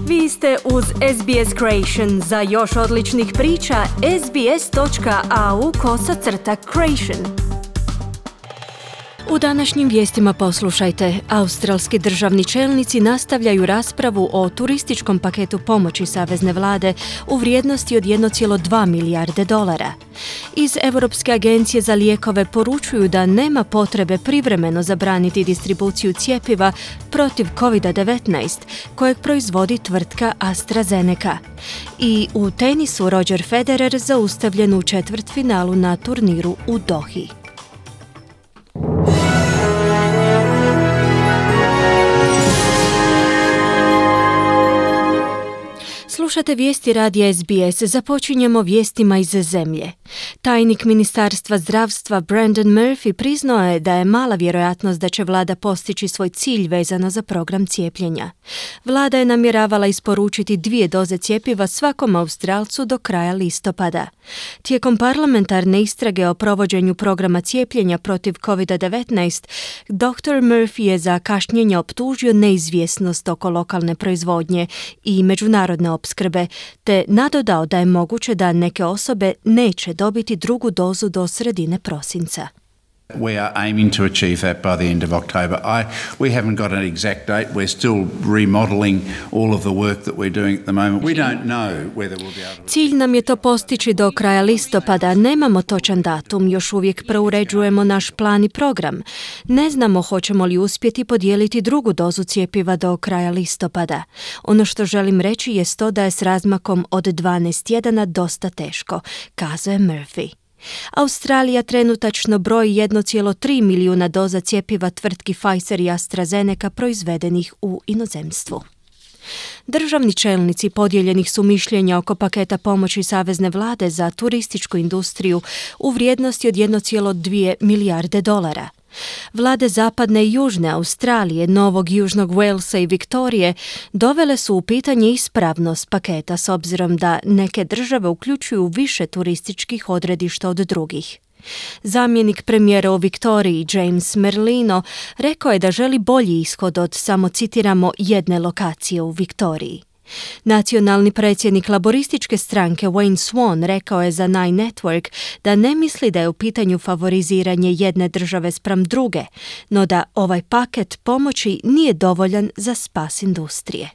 Vi ste uz SBS Creation. Za još odličnih priča, sbs.au/creation. U današnjim vijestima poslušajte. Australski državni čelnici nastavljaju raspravu o turističkom paketu pomoći savezne vlade u vrijednosti od 1,2 milijarde dolara. Iz Europske agencije za lijekove poručuju da nema potrebe privremeno zabraniti distribuciju cjepiva protiv COVID-19 kojeg proizvodi tvrtka AstraZeneca. I u tenisu Roger Federer zaustavljen u četvrtfinalu na turniru u Dohi. Slušate vijesti radija SBS. Započinjemo vijestima iz zemlje. Tajnik Ministarstva zdravstva Brendan Murphy priznao je da je mala vjerojatnost da će vlada postići svoj cilj vezano za program cijepljenja. Vlada je namjeravala isporučiti 2 doze cjepiva svakom Australcu do kraja listopada. Tijekom parlamentarne istrage o provođenju programa cijepljenja protiv COVID-19, dr. Murphy je za kašnjenje optužio neizvjesnost oko lokalne proizvodnje i međunarodne opskrbe, te nadodao da je moguće da neke osobe neće dobiti drugu dozu do sredine prosinca. We are aiming to achieve that by the end of October. We haven't got an exact date. We're still remodeling all of the work that we're doing at the moment. We don't know whether we'll be able to... Cilj nam je to postići do kraja listopada. Nemamo točan datum. Još uvijek preuređujemo naš plan i program. Ne znamo hoćemo li uspjeti podijeliti drugu dozu cjepiva do kraja listopada. Ono što želim reći je to da je s razmakom od 12 tjedana dosta teško, kazuje Murphy. Australija trenutačno broji 1,3 milijuna doza cjepiva tvrtki Pfizer i AstraZeneca proizvedenih u inozemstvu. Državni čelnici podijeljenih su mišljenja oko paketa pomoći savezne vlade za turističku industriju u vrijednosti od 1,2 milijarde dolara. Vlade zapadne i južne Australije, Novog Južnog Walesa i Viktorije dovele su u pitanje ispravnost paketa s obzirom da neke države uključuju više turističkih odredišta od drugih. Zamjenik premijera u Viktoriji, James Merlino, rekao je da želi bolji ishod od, samo citiramo, jedne lokacije u Viktoriji. Nacionalni predsjednik laborističke stranke Wayne Swan rekao je za Nine Network da ne misli da je u pitanju favoriziranje jedne države spram druge, no da ovaj paket pomoći nije dovoljan za spas industrije.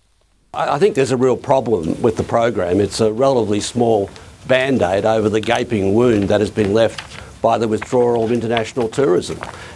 I think there's a real problem with the program. It's a relatively small band-aid over the gaping wound that has been left by the withdrawal of international tourism.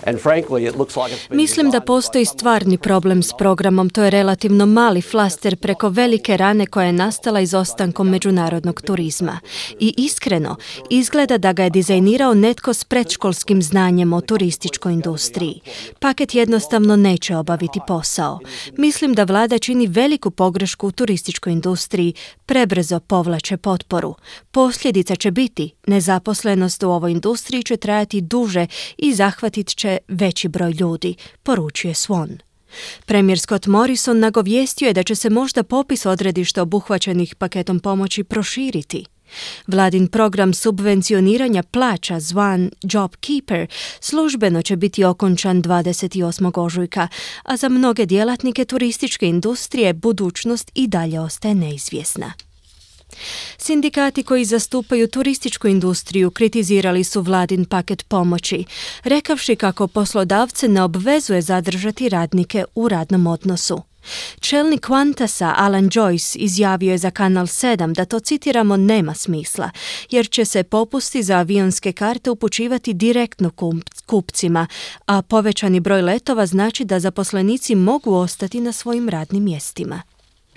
And frankly, it looks like it's been... Mislim da postoji stvarni problem s programom. To je relativno mali flaster preko velike rane koja je nastala izostankom međunarodnog turizma. I iskreno, izgleda da ga je dizajnirao netko s predškolskim znanjem o turističkoj industriji. Paket jednostavno neće obaviti posao. Mislim da vlada čini veliku pogrešku u turističkoj industriji, prebrzo povlače potporu. Posljedica će biti nezaposlenost u ovoj industriji će trajati duže i zahvatit će veći broj ljudi, poručuje Swan. Premijer Scott Morrison nagovijestio je da će se možda popis odredišta obuhvaćenih paketom pomoći proširiti. Vladin program subvencioniranja plaća zvan JobKeeper službeno će biti okončan 28. ožujka, a za mnoge djelatnike turističke industrije budućnost i dalje ostaje neizvjesna. Sindikati koji zastupaju turističku industriju kritizirali su vladin paket pomoći, rekavši kako poslodavce ne obvezuje zadržati radnike u radnom odnosu. Čelnik Qantasa Alan Joyce izjavio je za Kanal 7 da to, citiramo, nema smisla, jer će se popusti za avionske karte upućivati direktno kupcima, a povećani broj letova znači da zaposlenici mogu ostati na svojim radnim mjestima.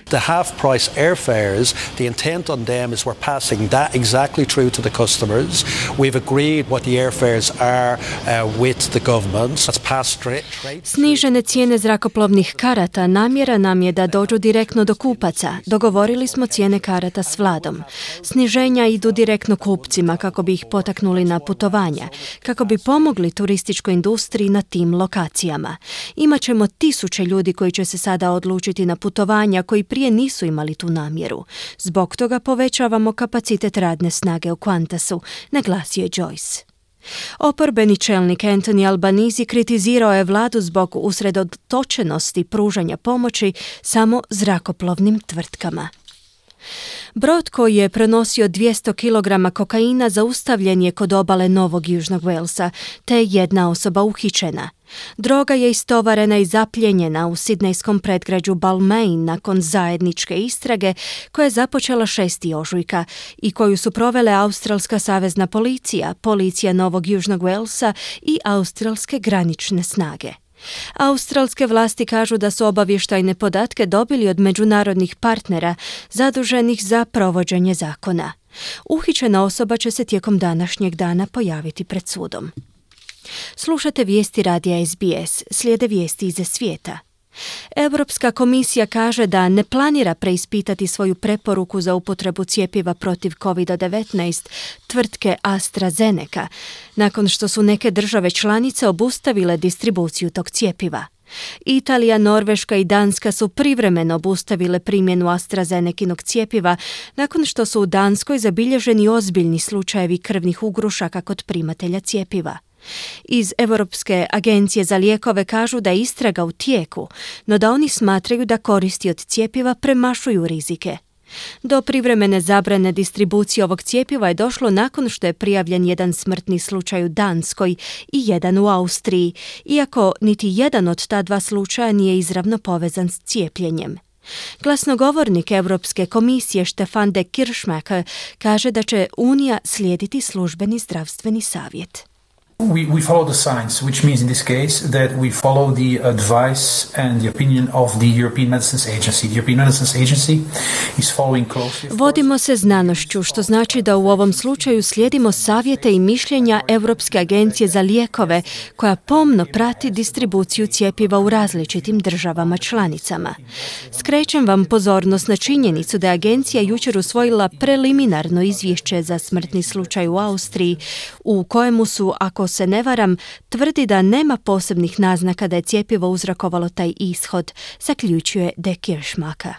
The half-price airfares, the intent on them is we're passing that exactly through to the customers. We've agreed what the airfares are with the government. That's passed straight. Snižene cijene zrakoplovnih karata namjera nam je da dođu direktno do kupaca. Dogovorili smo cijene karata s vladom. Sniženja idu direktno kupcima kako bi ih potaknuli na putovanja, kako bi pomogli turističkoj industriji na tim lokacijama. Imaćemo 1000 ljudi koji će se sada odlučiti na putovanja koji prije nisu imali tu namjeru. Zbog toga povećavamo kapacitet radne snage u Qantasu, naglasio je Joyce. Oporbeni čelnik Anthony Albanese kritizirao je vladu zbog usredotočenosti pružanja pomoći samo zrakoplovnim tvrtkama. Brod koji je prenosio 200 kg kokaina zaustavljen je kod obale Novog Južnog Walesa, te jedna osoba uhićena. Droga je istovarena i zapljenjena u sidnejskom predgrađu Balmain nakon zajedničke istrage koja je započela 6. ožujka i koju su provele Australska savezna policija, policija Novog Južnog Walesa i australske granične snage. Australske vlasti kažu da su obavještajne podatke dobili od međunarodnih partnera zaduženih za provođenje zakona. Uhićena osoba će se tijekom današnjeg dana pojaviti pred sudom. Slušate vijesti radija SBS, slijede vijesti iz svijeta. Europska komisija kaže da ne planira preispitati svoju preporuku za upotrebu cjepiva protiv COVID-19 tvrtke AstraZeneca, nakon što su neke države članice obustavile distribuciju tog cjepiva. Italija, Norveška i Danska su privremeno obustavile primjenu AstraZenekinog cjepiva nakon što su u Danskoj zabilježeni ozbiljni slučajevi krvnih ugrušaka kod primatelja cjepiva. Iz Europske agencije za lijekove kažu da je istraga u tijeku, no da oni smatraju da koristi od cjepiva premašuju rizike. Do privremene zabrane distribucije ovog cjepiva je došlo nakon što je prijavljen jedan smrtni slučaj u Danskoj i jedan u Austriji, iako niti jedan od ta dva slučaja nije izravno povezan s cijepljenjem. Glasnogovornik Europske komisije Stefan de Kirchmacher kaže da će Unija slijediti službeni zdravstveni savjet. We follow the science, which means in this case that we follow the advice and the opinion of the European Medicines Agency. The European Medicines Agency is following closely. Vodimo se znanošću, što znači da u ovom slučaju slijedimo savjete i mišljenja Europske agencije za lijekove, koja pomno prati distribuciju cjepiva u različitim državama članicama. Skrećem vam pozornost na činjenicu da je agencija jučer usvojila preliminarno izvješće za smrtni slučaj u Austriji, u kojemu su, ako se ne varam, tvrdi da nema posebnih naznaka da je cjepivo uzrokovalo taj ishod, zaključuje de Kirchmacher.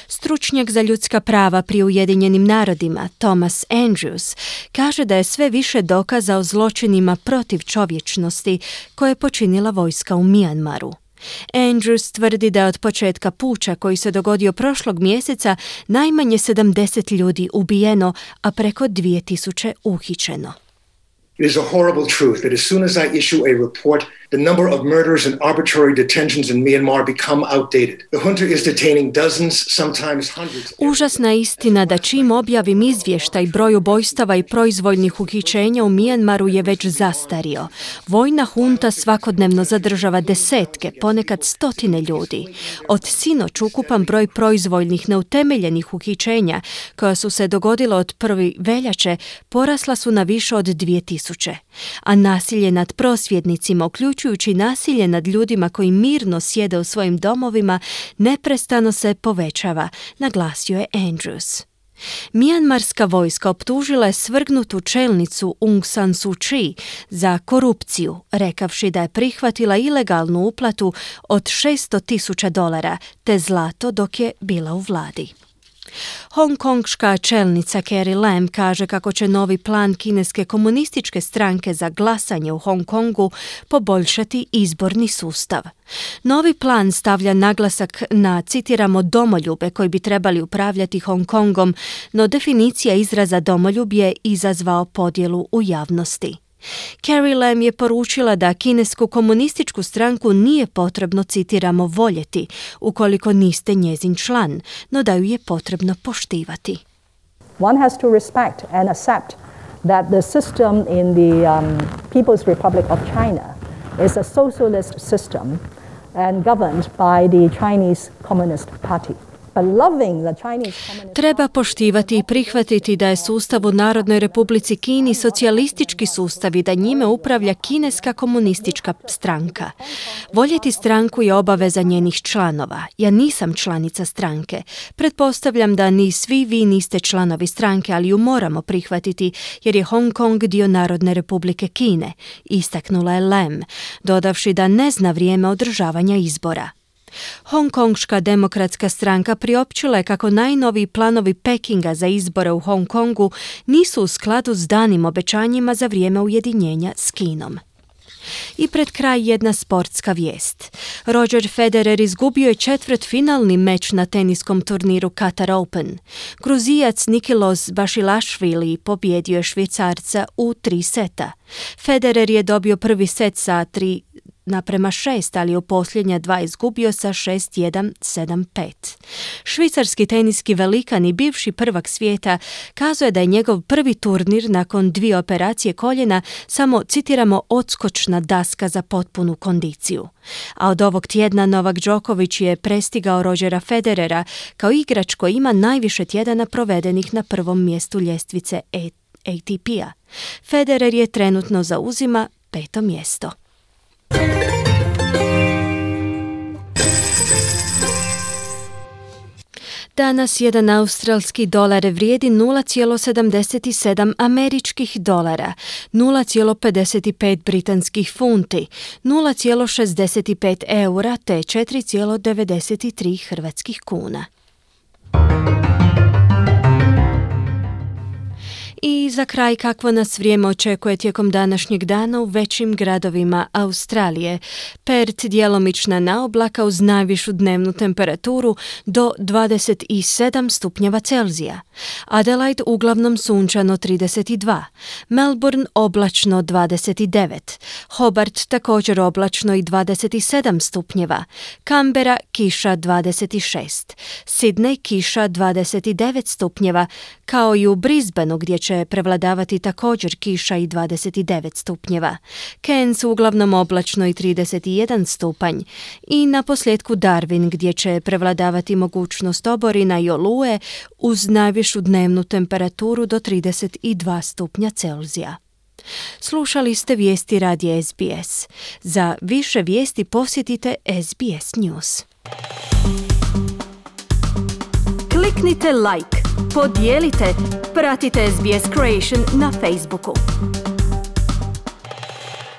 Stručnjak za ljudska prava pri Ujedinjenim narodima, Thomas Andrews, kaže da je sve više dokaza o zločinima protiv čovječnosti koje je počinila vojska u Mijanmaru. Andrews tvrdi da je od početka puča koji se dogodio prošlog mjeseca najmanje 70 ljudi ubijeno, a preko 2000 uhićeno. It is a horrible truth that as soon as I issue a report, the number of murders and arbitrary detentions in Myanmar become outdated. The junta is detaining dozens, sometimes hundreds. Užasna istina da čim objavim izvještaj, broj ubojstava i proizvoljnih uhićenja u Mijanmaru je već zastario. Vojna hunta svakodnevno zadržava desetke, ponekad stotine ljudi. Od sinoć ukupan broj proizvoljnih neutemeljenih uhićenja koja su se dogodila od 1. veljače porasla su na više od 2000. A nasilje nad prosvjednicima, uključujući nasilje nad ljudima koji mirno sjede u svojim domovima, neprestano se povećava, naglasio je Andrews. Mijanmarska vojska optužila je svrgnutu čelnicu Aung San Suu Kyi za korupciju, rekavši da je prihvatila ilegalnu uplatu od $600,000 te zlato dok je bila u vladi. Hongkongška čelnica Carrie Lam kaže kako će novi plan kineske komunističke stranke za glasanje u Hong Kongu poboljšati izborni sustav. Novi plan stavlja naglasak na, citiramo, domoljube koji bi trebali upravljati Hong Kongom, no definicija izraza domoljub je izazvao podjelu u javnosti. Carrie Lam je poručila da kinesku komunističku stranku nije potrebno, citiramo, voljeti ukoliko niste njezin član, no da ju je potrebno poštivati. One has to respect and accept that the system in the People's Republic of China is a socialist system and governed by the Chinese Communist Party. Treba poštivati i prihvatiti da je sustav u Narodnoj Republici Kini socijalistički sustav i da njime upravlja kineska komunistička stranka. Voljeti stranku je obaveza njenih članova. Ja nisam članica stranke. Pretpostavljam da ni svi vi niste članovi stranke, ali ju moramo prihvatiti jer je Hong Kong dio Narodne Republike Kine, istaknula je Lam, dodavši da ne zna vrijeme održavanja izbora. Hongkonška demokratska stranka priopćila je kako najnoviji planovi Pekinga za izbore u Hong Kongu nisu u skladu s danim obećanjima za vrijeme ujedinjenja s Kinom. I pred kraj jedna sportska vijest. Roger Federer izgubio je četvrtfinalni meč na teniskom turniru Qatar Open. Gruzijac Nikilos Basilashvili pobjedio je Švicarca u 3 seta. Federer je dobio prvi set sa 3:6, ali u posljednja 2 izgubio sa 6-1, 7-5. Švicarski teniski velikan i bivši prvak svijeta kazuje da je njegov prvi turnir nakon 2 operacije koljena samo, citiramo, odskočna daska za potpunu kondiciju. A od ovog tjedna Novak Đoković je prestigao Rogera Federera kao igrač koji ima najviše tjedana provedenih na prvom mjestu ljestvice ATP-a. Federer je trenutno zauzima 5. mjesto. Danas jedan australski dolar vrijedi 0,77 američkih dolara, 0,55 britanskih funti, 0,65 eura te 4,93 hrvatskih kuna. I za kraj, kakvo nas vrijeme očekuje tijekom današnjeg dana u većim gradovima Australije. Perth djelomična naoblaka uz najvišu dnevnu temperaturu do 27 stupnjeva Celzija. Adelaide uglavnom sunčano 32. Melbourne oblačno 29. Hobart također oblačno i 27 stupnjeva. Canberra kiša 26. Sydney kiša 29 stupnjeva, kao i u Brisbaneu gdje će prevladavati također kiša i 29 stupnjeva. Cairns uglavnom oblačno i 31 stupanj. I na posljedku Darwin gdje će prevladavati mogućnost oborina i oluje uz najvišu dnevnu temperaturu do 32 stupnja Celzija. Slušali ste vijesti radija SBS. Za više vijesti posjetite SBS News. Kliknite like, podijelite, pratite SBS Creation na Facebooku.